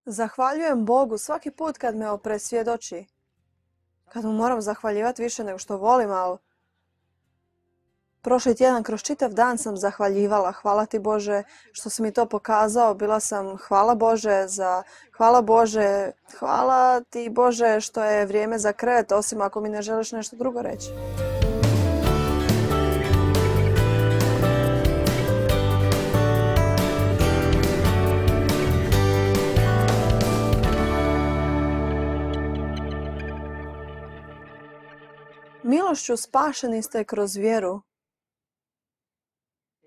Zahvaljujem Bogu svaki put kad me presvjedoči. Kad mu moram zahvaljivati više nego što volim, ali prošli tjedan kroz čitav dan sam zahvaljivala. Hvala ti Bože što si mi to pokazao. Bila sam hvala Bože, hvala ti Bože što je vrijeme za krevet, osim ako mi ne želiš nešto drugo reći. Milošću spašeni ste kroz vjeru.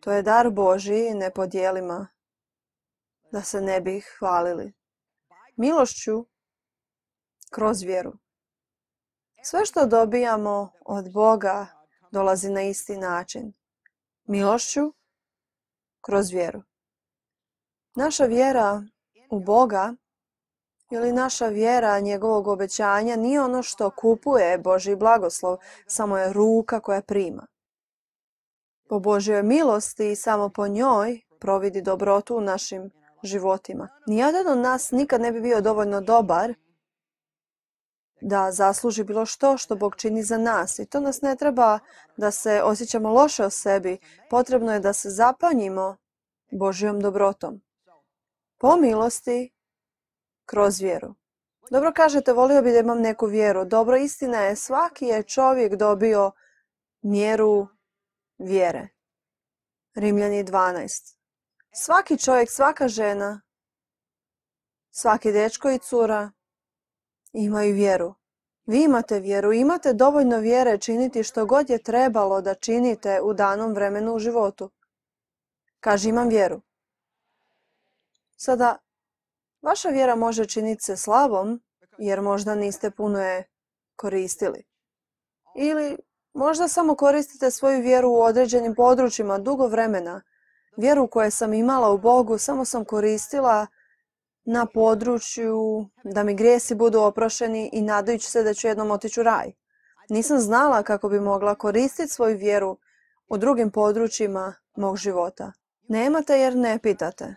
To je dar Božji, ne podijelima, da se ne bi hvalili. Milošću kroz vjeru. Sve što dobijamo od Boga dolazi na isti način. Milošću kroz vjeru. Naša vjera u Boga ili naša vjera njegovog obećanja nije ono što kupuje Božji blagoslov, samo je ruka koja prima. Po Božjoj milosti i samo po njoj providi dobrotu u našim životima. Nijedan od nas nikad ne bi bio dovoljno dobar da zasluži bilo što Bog čini za nas. I to nas ne treba da se osjećamo loše o sebi. Potrebno je da se zapanjimo Božjom dobrotom. Po milosti, kroz vjeru. Dobro kažete, volio bi da imam neku vjeru. Dobro, istina je, svaki je čovjek dobio mjeru vjere. Rimljani 12. Svaki čovjek, svaka žena, svaki dečko i cura imaju vjeru. Vi imate vjeru, imate dovoljno vjere činiti što god je trebalo da činite u danom vremenu u životu. Kaže, imam vjeru. Sada, vaša vjera može činiti se slabom, jer možda niste puno je koristili. Ili možda samo koristite svoju vjeru u određenim područjima dugo vremena. Vjeru koju sam imala u Bogu samo sam koristila na području da mi grijesi budu oprošeni i nadajući se da ću jednom otići u raj. Nisam znala kako bi mogla koristiti svoju vjeru u drugim područjima mog života. Nemate jer ne pitate.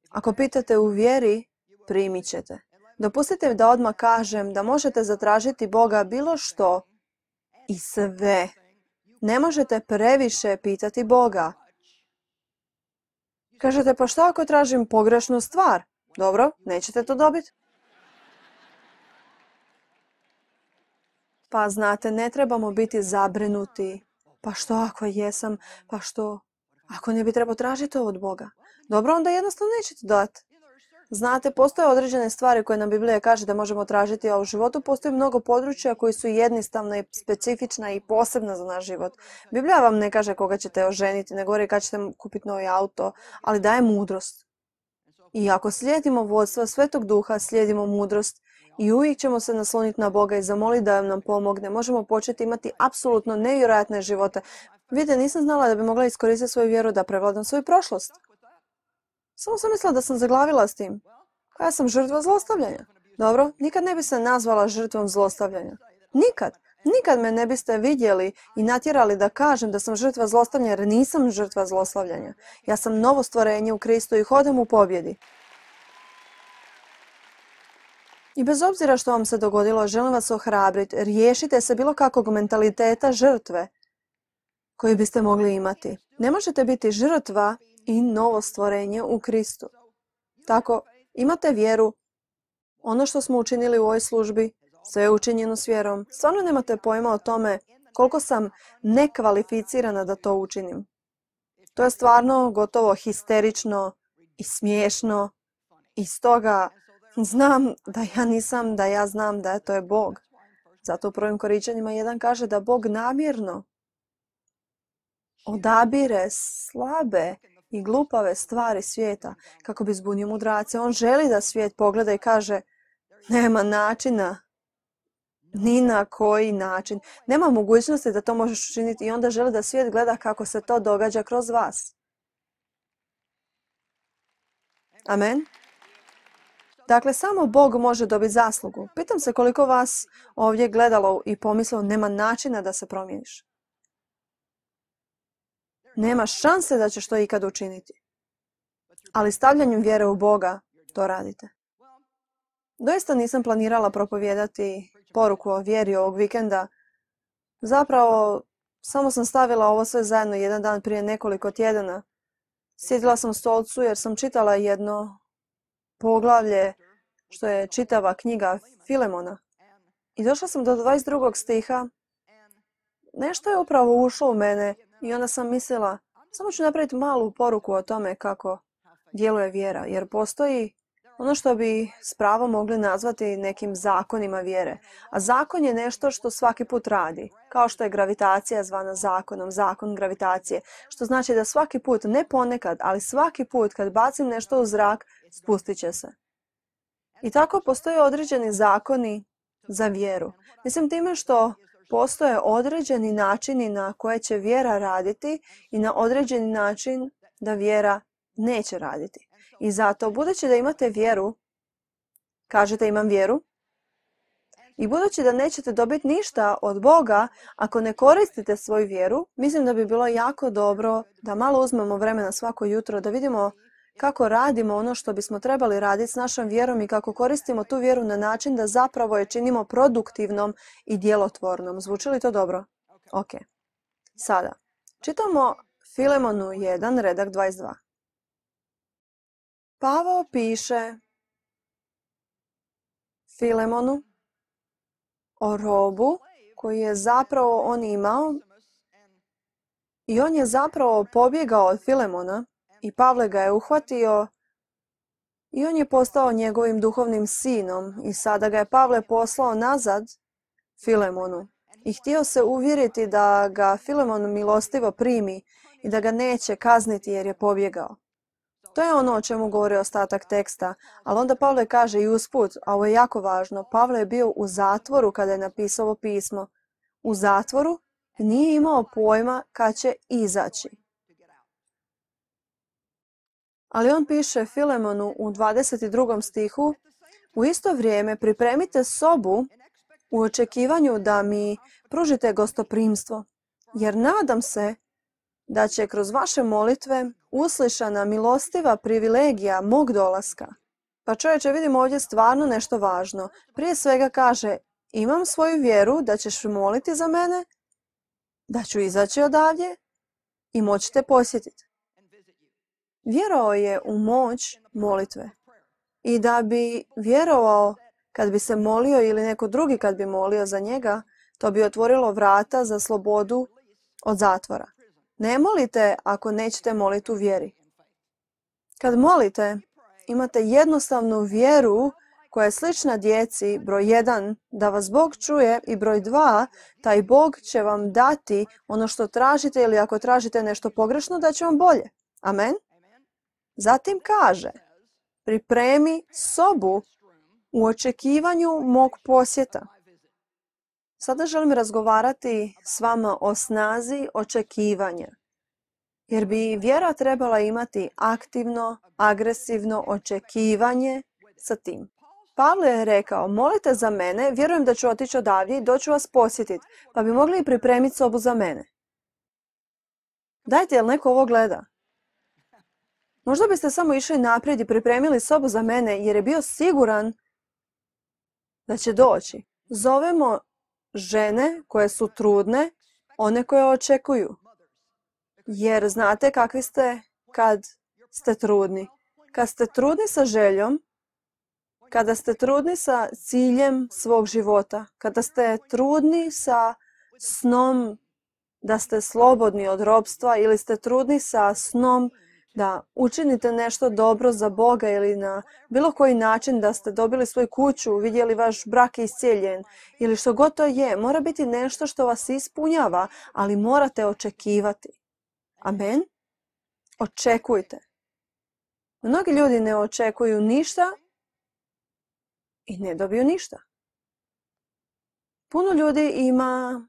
Ako pitate u vjeri, primit ćete. Dopustite da odmah kažem da možete zatražiti Boga bilo što i sve. Ne možete previše pitati Boga. Kažete, pa što ako tražim pogrešnu stvar? Dobro, nećete to dobiti. Pa znate, ne trebamo biti zabrinuti. Pa što ako jesam? Pa što ako ne bi trebao tražiti to od Boga? Dobro, onda jednostavno nećete dati. Znate, postoje određene stvari koje nam Biblija kaže da možemo tražiti, a u životu postoji mnogo područja koji su jednostavna i specifična i posebna za naš život. Biblija vam ne kaže koga ćete oženiti, ne govori kad ćete kupiti novi auto, ali daje mudrost. I ako slijedimo vodstva Svetog Duha, slijedimo mudrost i uvijek ćemo se nasloniti na Boga i zamoliti da nam pomogne. Možemo početi imati apsolutno nevjerojatne živote. Vidite, nisam znala da bi mogla iskoristiti svoju vjeru da prevladam svoju prošlost. Samo sam mislila da sam zaglavila s tim. Ja sam žrtva zlostavljanja. Dobro, nikad ne bi se nazvala žrtvom zlostavljanja. Nikad. Nikad me ne biste vidjeli i natjerali da kažem da sam žrtva zlostavljanja jer nisam žrtva zlostavljanja. Ja sam novo stvorenje u Kristu i hodam u pobjedi. I bez obzira što vam se dogodilo, želim vas ohrabriti. Riješite se bilo kakvog mentaliteta žrtve koji biste mogli imati. Ne možete biti žrtva i novo stvorenje u Kristu. Tako, imate vjeru. Ono što smo učinili u ovoj službi, sve je učinjeno s vjerom. Stvarno nemate pojma o tome koliko sam nekvalificirana da to učinim. To je stvarno gotovo histerično i smiješno. I stoga znam da ja znam da to je Bog. Zato u prvim Korinčanima 1 kaže da Bog namjerno odabire slabe i glupave stvari svijeta kako bi zbunio mudrace. On želi da svijet pogleda i kaže nema načina, ni na koji način. Nema mogućnosti da to možeš učiniti i onda želi da svijet gleda kako se to događa kroz vas. Amen. Dakle, samo Bog može dobiti zaslugu. Pitam se koliko vas ovdje gledalo i pomislilo nema načina da se promijeniš. Nema šanse da ćeš to ikad učiniti. Ali stavljanjem vjere u Boga to radite. Doista nisam planirala propovijedati poruku o vjeri ovog vikenda. Zapravo, samo sam stavila ovo sve zajedno jedan dan prije nekoliko tjedana. Sjedila sam u stolcu jer sam čitala jedno poglavlje što je čitava knjiga Filemona. I došla sam do 22. stiha. Nešto je upravo ušlo u mene i onda sam mislila, samo ću napraviti malu poruku o tome kako djeluje vjera. Jer postoji ono što bi s pravom mogli nazvati nekim zakonima vjere. A zakon je nešto što svaki put radi. Kao što je gravitacija zvana zakonom, zakon gravitacije. Što znači da svaki put, ne ponekad, ali svaki put kad bacim nešto u zrak, spustit će se. I tako postoje određeni zakoni za vjeru. Mislim time što postoje određeni načini na koje će vjera raditi i na određeni način da vjera neće raditi. I zato, budući da imate vjeru, kažete imam vjeru, i budući da nećete dobiti ništa od Boga ako ne koristite svoju vjeru, mislim da bi bilo jako dobro da malo uzmemo vremena svako jutro da vidimo kako radimo ono što bismo trebali raditi s našom vjerom i kako koristimo tu vjeru na način da zapravo je činimo produktivnom i djelotvornom. Zvuči li to dobro? Ok. Sada, čitamo Filemonu 1, redak 22. Pavao piše Filemonu o robu koji je zapravo on imao i on je zapravo pobjegao od Filemona i Pavle ga je uhvatio i on je postao njegovim duhovnim sinom i sada ga je Pavle poslao nazad Filemonu i htio se uvjeriti da ga Filemon milostivo primi i da ga neće kazniti jer je pobjegao. To je ono o čemu govori ostatak teksta, ali onda Pavle kaže i usput, a ovo je jako važno, Pavle je bio u zatvoru kada je napisao ovo pismo. U zatvoru nije imao pojma kad će izaći. Ali on piše Filemonu u 22. stihu, u isto vrijeme pripremite sobu u očekivanju da mi pružite gostoprimstvo, jer nadam se da će kroz vaše molitve uslišana milostiva privilegija mog dolaska. Pa čovječe, vidimo ovdje stvarno nešto važno. Prije svega kaže, imam svoju vjeru da ćeš moliti za mene, da ću izaći odavdje i moći te posjetiti. Vjerovao je u moć molitve. I da bi vjerovao kad bi se molio ili neko drugi kad bi molio za njega, to bi otvorilo vrata za slobodu od zatvora. Ne molite ako nećete moliti u vjeri. Kad molite, imate jednostavnu vjeru koja je slična djeci, broj 1, da vas Bog čuje i broj 2, taj Bog će vam dati ono što tražite ili ako tražite nešto pogrešno, da će vam bolje. Amen? Zatim kaže, pripremi sobu u očekivanju mog posjeta. Sada želim razgovarati s vama o snazi očekivanja. Jer bi vjera trebala imati aktivno, agresivno očekivanje sa tim. Pavle je rekao, molite za mene, vjerujem da ću otići odavdje i doću vas posjetiti, pa bi mogli i pripremiti sobu za mene. Dajte, jel neko ovo gleda? Možda biste samo išli naprijed i pripremili sobu za mene jer je bio siguran da će doći. Zovemo žene koje su trudne, one koje očekuju. Jer znate kakvi ste kad ste trudni. Kad ste trudni sa željom, kada ste trudni sa ciljem svog života, kada ste trudni sa snom da ste slobodni od ropstva ili ste trudni sa snom da učinite nešto dobro za Boga ili na bilo koji način da ste dobili svoju kuću, vidjeli vaš brak iscijeljen ili što god to je, mora biti nešto što vas ispunjava, ali morate očekivati. Amen? Očekujte. Mnogi ljudi ne očekuju ništa i ne dobiju ništa. Puno ljudi ima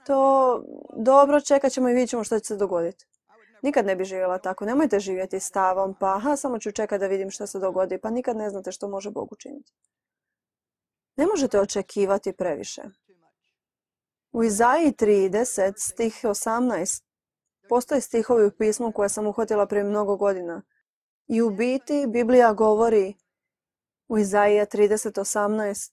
to dobro, čekat ćemo i vidjet ćemo što će se dogoditi. Nikad ne bi živjela tako. Nemojte živjeti stavom, pa samo ću čekati da vidim što se dogodi, pa nikad ne znate što može Bog učiniti. Ne možete očekivati previše. U Izaiji 30, stih 18, postoje stihovi u pismu koje sam uhvatila prije mnogo godina. I u biti Biblija govori u Izaija 30:18.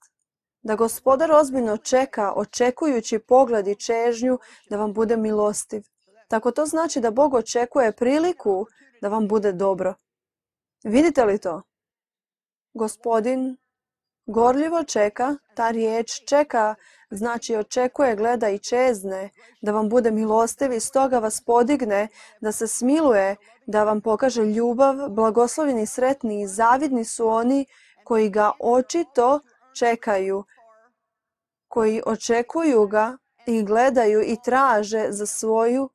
Da Gospodar ozbiljno čeka, očekujući pogled i čežnju da vam bude milostiv. Tako to znači da Bog očekuje priliku da vam bude dobro. Vidite li to? Gospodin gorljivo čeka, ta riječ čeka, znači očekuje, gleda i čezne, da vam bude milostiv i stoga vas podigne, da se smiluje, da vam pokaže ljubav. Blagoslovljeni i sretni i zavidni su oni koji ga očito čekaju, koji očekuju ga i gledaju i traže za svoju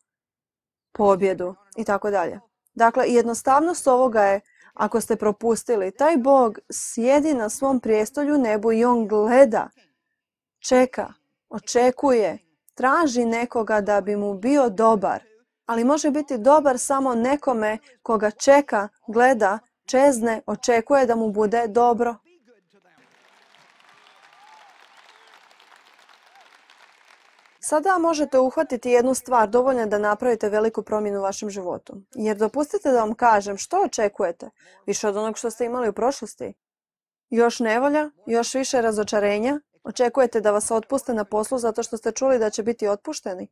pobjedu i tako dalje. Dakle, jednostavnost ovoga je, ako ste propustili, taj Bog sjedi na svom prijestolju nebu i on gleda, čeka, očekuje, traži nekoga da bi mu bio dobar, ali može biti dobar samo nekome koga čeka, gleda, čezne, očekuje da mu bude dobro. Sada možete uhvatiti jednu stvar, dovoljno je da napravite veliku promjenu u vašem životu. Jer dopustite da vam kažem, što očekujete? Više od onog što ste imali u prošlosti? Još nevolja? Još više razočarenja? Očekujete da vas otpuste na poslu zato što ste čuli da će biti otpušteni?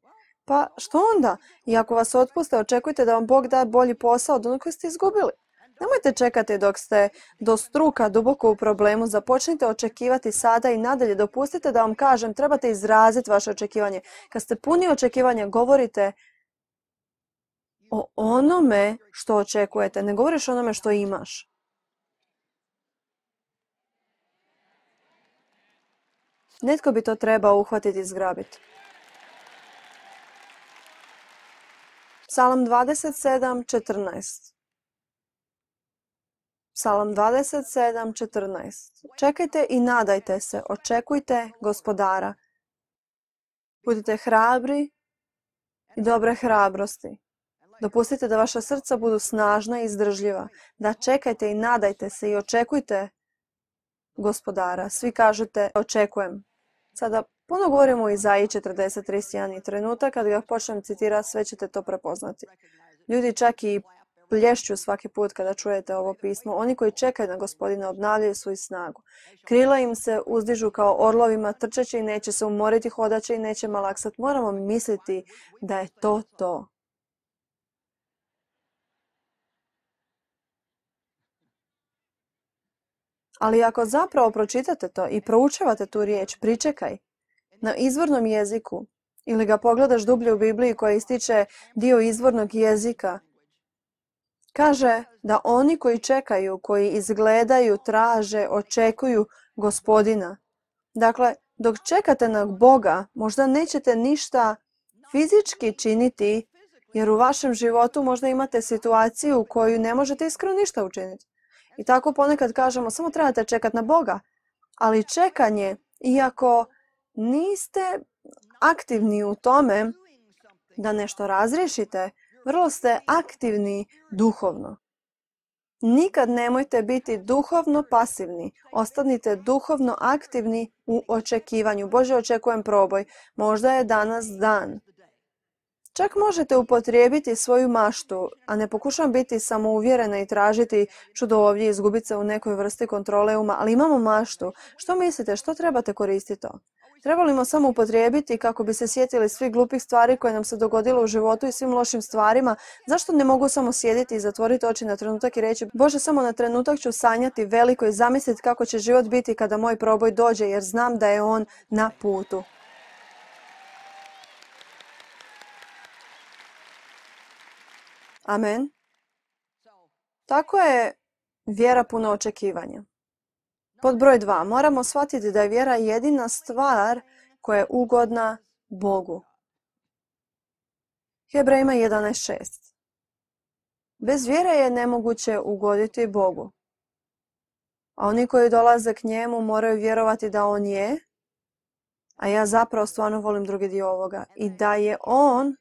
Pa što onda? I ako vas otpuste, očekujte da vam Bog da bolji posao od onog koji ste izgubili. Nemojte čekati dok ste do struka duboko u problemu. Započnite očekivati sada i nadalje. Dopustite da vam kažem, trebate izraziti vaše očekivanje. Kad ste puni očekivanja, govorite o onome što očekujete. Ne govoriš o onome što imaš. Netko bi to trebao uhvatiti i zgrabiti. Psalam 27:14. Psalam 27:14. Čekajte i nadajte se, očekujte Gospodara. Budite hrabri i dobre hrabrosti. Dopustite da vaša srca budu snažna i izdržljiva. Da čekajte i nadajte se i očekujte Gospodara. Svi kažete očekujem. Sada puno govorimo o Izaiji 40:31 i trenutak kad ga počnem citirati, sve ćete to prepoznati. Ljudi čak i plješću svaki put kada čujete ovo pismo. Oni koji čekaju na Gospodina obnavljaju svoju snagu. Krila im se uzdižu kao orlovima, trčeći i neće se umoriti, hodaće i neće malaksati. Moramo misliti da je to to. Ali ako zapravo pročitate to i proučavate tu riječ, pričekaj, na izvornom jeziku, ili ga pogledaš dublje u Bibliji koja ističe dio izvornog jezika, kaže da oni koji čekaju, koji izgledaju, traže, očekuju Gospodina. Dakle, dok čekate na Boga, možda nećete ništa fizički činiti, jer u vašem životu možda imate situaciju u koju ne možete iskreno ništa učiniti. I tako ponekad kažemo, samo trebate čekati na Boga. Ali čekanje, iako niste aktivni u tome da nešto razriješite, vrlo ste aktivni duhovno. Nikad nemojte biti duhovno pasivni. Ostanite duhovno aktivni u očekivanju. Bože, očekujem proboj. Možda je danas dan. Čak možete upotrijebiti svoju maštu, a ne pokušavam biti samouvjerena i tražiti čudo ovdje i izgubiti se u nekoj vrsti kontrole uma, ali imamo maštu. Što mislite, što trebate koristiti to? Trebamo samo upotrijebiti kako bi se sjetili svih glupih stvari koje nam se dogodilo u životu i svim lošim stvarima. Zašto ne mogu samo sjediti i zatvoriti oči na trenutak i reći, Bože, samo na trenutak ću sanjati veliko i zamisliti kako će život biti kada moj proboj dođe, jer znam da je on na putu. Amen. Tako je vjera puna očekivanja. Pod broj 2. Moramo shvatiti da je vjera jedina stvar koja je ugodna Bogu. Hebrejima 11:6. Bez vjere je nemoguće ugoditi Bogu. A oni koji dolaze k njemu moraju vjerovati da on je, a ja zapravo stvarno volim drugi dio ovoga, i da je on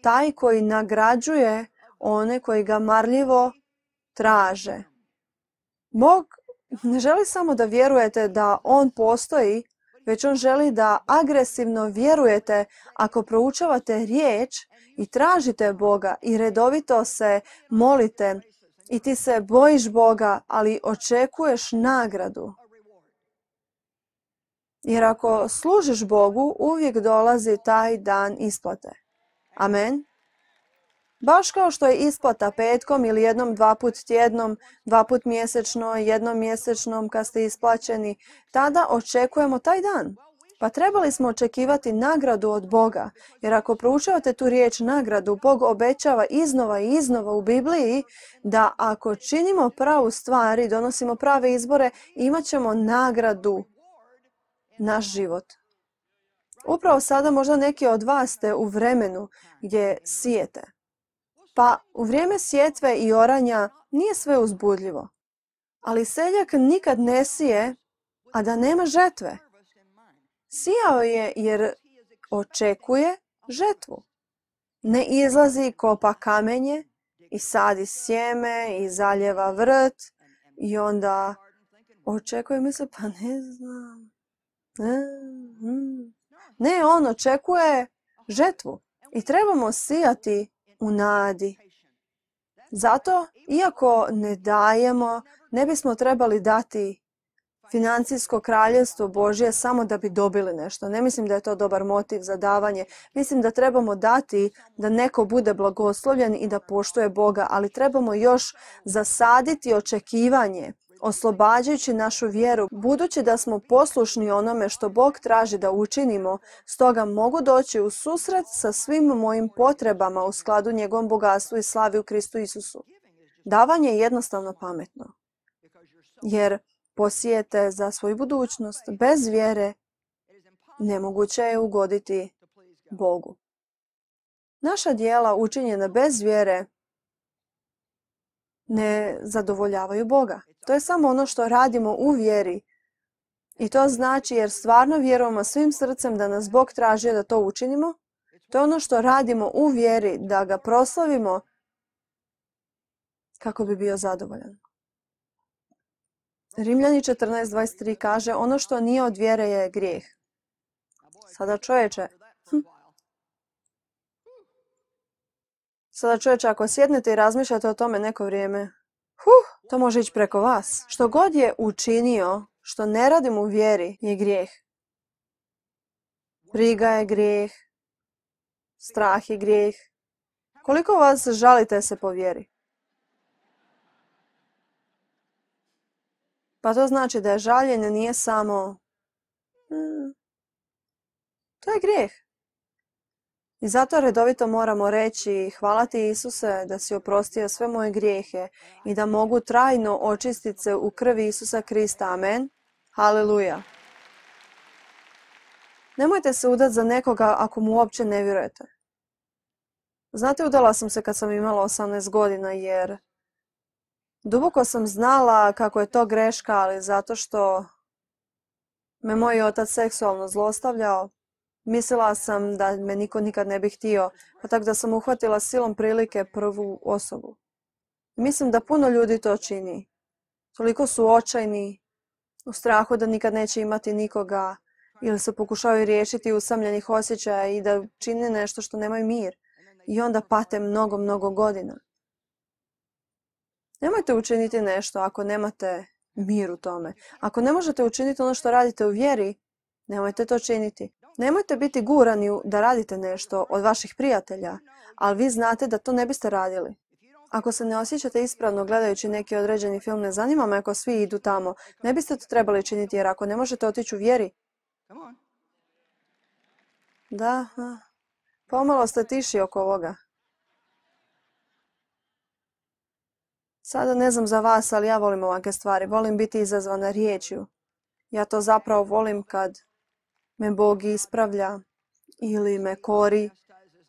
taj koji nagrađuje one koji ga marljivo traže. Bog ne želi samo da vjerujete da on postoji, već on želi da agresivno vjerujete ako proučavate riječ i tražite Boga i redovito se molite i ti se bojiš Boga, ali očekuješ nagradu. Jer ako služiš Bogu, uvijek dolazi taj dan isplate. Amen. Baš kao što je isplata petkom ili jednom, dva put tjednom, dva put mjesečno, jednom mjesečnom kad ste isplaćeni, tada očekujemo taj dan. Pa trebali smo očekivati nagradu od Boga, jer ako proučavate tu riječ nagradu, Bog obećava iznova i iznova u Bibliji da ako činimo pravu stvar i donosimo prave izbore, imat ćemo nagradu naš život. Upravo sada možda neki od vas ste u vremenu gdje sijete. Pa u vrijeme sjetve i oranja nije sve uzbudljivo. Ali seljak nikad ne sije, a da nema žetve. Sijao je jer očekuje žetvu. Ne izlazi, kopa kamenje i sadi sjeme i zaljeva vrt i onda očekuje, misli, pa ne znam. Ne, on očekuje žetvu i trebamo sijati u nadi. Zato, iako ne dajemo, ne bismo trebali dati financijsko kraljevstvo Božje samo da bi dobili nešto. Ne mislim da je to dobar motiv za davanje. Mislim da trebamo dati da neko bude blagoslovljen i da poštuje Boga, ali trebamo još zasaditi očekivanje, oslobađajući našu vjeru, budući da smo poslušni onome što Bog traži da učinimo, stoga mogu doći u susret sa svim mojim potrebama u skladu njegovom bogatstvu i slavi u Kristu Isusu. Davanje je jednostavno pametno, jer posijete za svoju budućnost. Bez vjere nemoguće je ugoditi Bogu. Naša djela učinjena bez vjere ne zadovoljavaju Boga. To je samo ono što radimo u vjeri. I to znači jer stvarno vjerujemo svim srcem da nas Bog traži da to učinimo. To je ono što radimo u vjeri, da ga proslavimo kako bi bio zadovoljan. Rimljani 14.23 kaže, ono što nije od vjere je grijeh. Sada čovječe, ako sjednete i razmišljate o tome neko vrijeme, to može ići preko vas. Što god je učinio, što ne radim u vjeri, je grijeh. Briga je grijeh, strah je grijeh. Koliko vas žalite se po vjeri? Pa to znači da je žaljenje nije samo... To je grijeh. I zato redovito moramo reći, hvala ti Isuse da si oprostio sve moje grijehe i da mogu trajno očistiti se u krvi Isusa Krista. Amen. Haleluja. Nemojte se udati za nekoga ako mu uopće ne vjerujete. Znate, udala sam se kad sam imala 18 godina jer duboko sam znala kako je to greška, ali zato što me moj otac seksualno zlostavljao, mislila sam da me niko nikad ne bi htio, pa tako da sam uhvatila silom prilike prvu osobu. Mislim da puno ljudi to čini. Toliko su očajni, u strahu da nikad neće imati nikoga, ili se pokušavaju riješiti usamljenih osjećaja i da čine nešto što nemaju mir. I onda pate mnogo, mnogo godina. Nemojte učiniti nešto ako nemate mir u tome. Ako ne možete učiniti ono što radite u vjeri, nemojte to činiti. Nemojte biti gurani da radite nešto od vaših prijatelja, ali vi znate da to ne biste radili. Ako se ne osjećate ispravno gledajući neki određeni film, ne zanima me ako svi idu tamo, ne biste to trebali činiti jer ako ne možete otići u vjeri... Da, pomalo ste tiši oko ovoga. Sada ne znam za vas, ali ja volim ovakve stvari. Volim biti izazvana riječju. Ja to zapravo volim kad me Bog ispravlja ili me kori.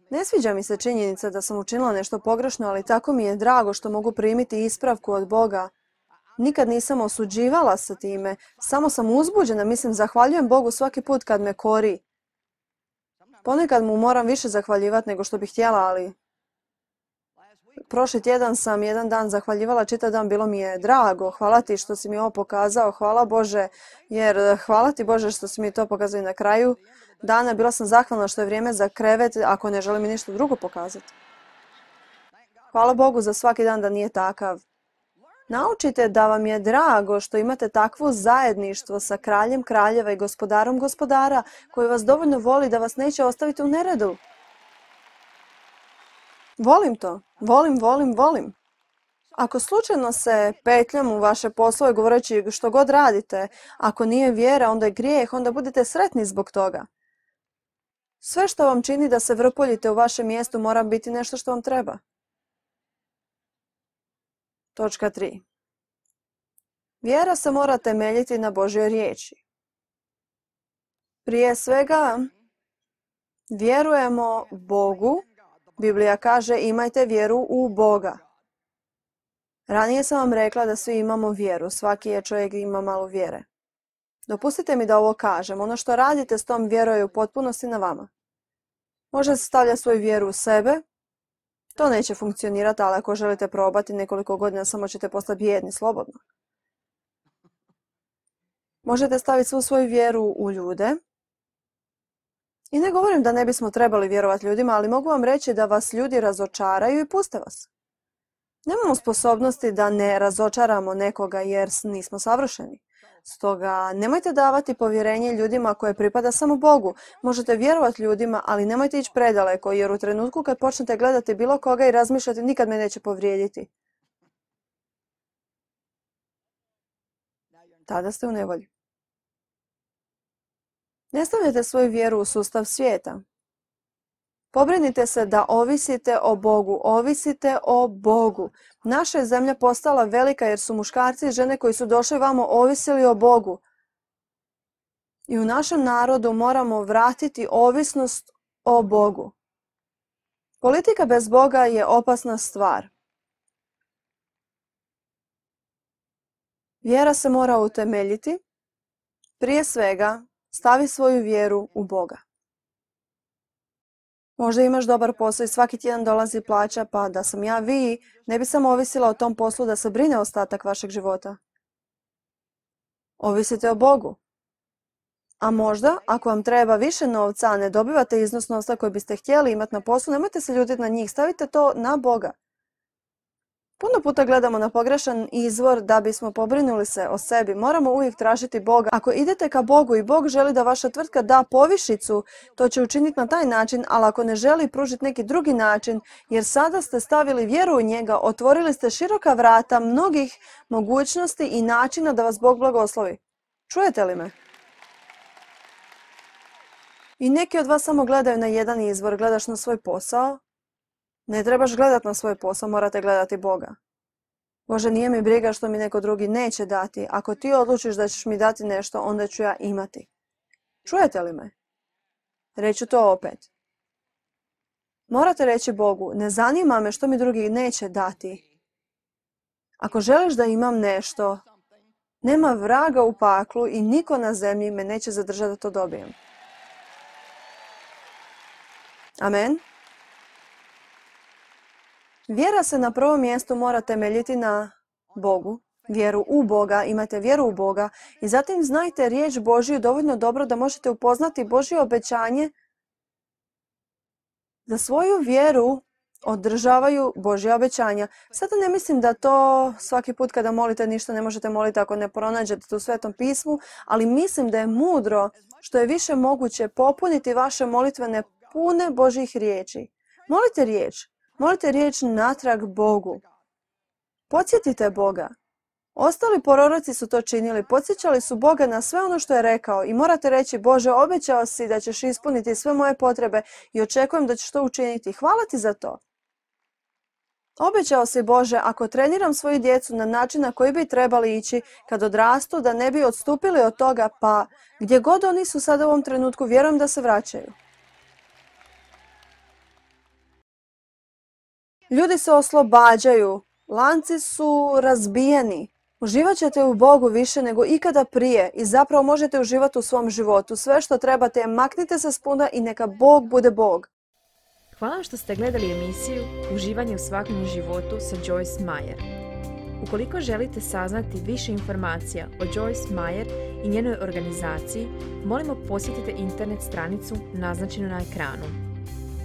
Ne sviđa mi se činjenica da sam učinila nešto pogrešno, ali tako mi je drago što mogu primiti ispravku od Boga. Nikad nisam osuđivala sa time, samo sam uzbuđena, mislim, zahvaljujem Bogu svaki put kad me kori. Ponekad mu moram više zahvaljivati nego što bih htjela, ali prošli tjedan sam jedan dan zahvaljivala čitav dan, bilo mi je drago. Hvala ti što si mi ovo pokazao, hvala Bože, jer hvala ti Bože što si mi to pokazao i na kraju dana. Bila sam zahvalna što je vrijeme za krevet, ako ne želim mi ništa drugo pokazati. Hvala Bogu za svaki dan da nije takav. Naučite da vam je drago što imate takvo zajedništvo sa kraljem kraljeva i gospodarom gospodara koji vas dovoljno voli da vas neće ostaviti u neredu. Volim to. Volim. Ako slučajno se petljam u vaše poslove govoreći što god radite, ako nije vjera, onda je grijeh, onda budite sretni zbog toga. Sve što vam čini da se vrpoljite u vašem mjestu mora biti nešto što vam treba. Točka 3. Vjera se mora temeljiti na Božjoj riječi. Prije svega, vjerujemo Bogu. Biblija kaže imajte vjeru u Boga. Ranije sam vam rekla da svi imamo vjeru. Svaki je čovjek ima malo vjere. Dopustite mi da ovo kažem. Ono što radite s tom vjerom je u potpunosti na vama. Možete stavljati svoju vjeru u sebe. To neće funkcionirati, ali ako želite probati nekoliko godina, samo ćete postati bijedni slobodno. Možete staviti svu svoju vjeru u ljude. I ne govorim da ne bismo trebali vjerovati ljudima, ali mogu vam reći da vas ljudi razočaraju i puste vas. Nemamo sposobnosti da ne razočaramo nekoga jer nismo savršeni. Stoga nemojte davati povjerenje ljudima koje pripada samo Bogu. Možete vjerovati ljudima, ali nemojte ići predaleko jer u trenutku kad počnete gledati bilo koga i razmišljati nikad me neće povrijediti. Tada ste u nevolji. Ne stavljate svoju vjeru u sustav svijeta. Pobrinite se da ovisite o Bogu. Naša je zemlja postala velika jer su muškarci i žene koji su došli vamo ovisili o Bogu. I u našem narodu moramo vratiti ovisnost o Bogu. Politika bez Boga je opasna stvar. Vjera se mora utemeljiti. Prije svega, stavi svoju vjeru u Boga. Možda imaš dobar posao i svaki tjedan dolazi plaća, pa da sam ja vi, ne bi samo ovisila o tom poslu da se brine ostatak vašeg života. Ovisite o Bogu. A možda, ako vam treba više novca, a ne dobivate iznos novca koji biste htjeli imati na poslu, nemojte se ljutiti na njih, stavite to na Boga. Puno puta gledamo na pogrešan izvor da bismo pobrinuli se o sebi. Moramo uvijek tražiti Boga. Ako idete ka Bogu i Bog želi da vaša tvrtka da povišicu, to će učiniti na taj način, ali ako ne želi pružiti neki drugi način, jer sada ste stavili vjeru u njega, otvorili ste široka vrata mnogih mogućnosti i načina da vas Bog blagoslovi. Čujete li me? I neki od vas samo gledaju na jedan izvor. Gledaš na svoj posao? Ne trebaš gledati na svoj posao, morate gledati Boga. Bože, nije mi briga što mi neko drugi neće dati. Ako ti odlučiš da ćeš mi dati nešto, onda ću ja imati. Čujete li me? Reću to opet. Morate reći Bogu, ne zanima me što mi drugi neće dati. Ako želiš da imam nešto, nema vraga u paklu i niko na zemlji me neće zadržati da to dobijem. Amen. Vjera se na prvom mjestu mora temeljiti na Bogu, vjeru u Boga, imate vjeru u Boga i zatim znajte riječ Božju dovoljno dobro da možete upoznati Božje obećanje. Za svoju vjeru održavaju Božja obećanja. Sada ne mislim da to svaki put kada molite ništa ne možete moliti ako ne pronađete u Svetom pismu, ali mislim da je mudro što je više moguće popuniti vaše molitvene pune Božjih riječi. Molite riječ natrag Bogu. Podsjetite Boga. Ostali proroci su to činili, podsjećali su Boga na sve ono što je rekao i morate reći, Bože, obećao si da ćeš ispuniti sve moje potrebe i očekujem da ćeš to učiniti. Hvala ti za to. Obećao si, Bože, ako treniram svoju djecu na način na koji bi trebali ići kad odrastu, da ne bi odstupili od toga, pa gdje god oni su sada u ovom trenutku, vjerujem da se vraćaju. Ljudi se oslobađaju, lanci su razbijeni. Uživat ćete u Bogu više nego ikada prije i zapravo možete uživati u svom životu. Sve što trebate je maknite se s puta i neka Bog bude Bog. Hvala što ste gledali emisiju Uživanje u svakodnevnom životu sa Joyce Meyer. Ukoliko želite saznati više informacija o Joyce Meyer i njenoj organizaciji, molimo posjetite internet stranicu naznačenu na ekranu.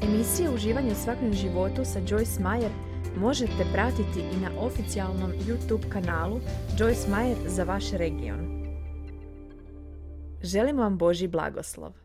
Emisija Uživanje u svakodnevnom životu sa Joyce Meyer možete pratiti i na oficijalnom YouTube kanalu Joyce Meyer za vaš region. Želim vam Božji blagoslov.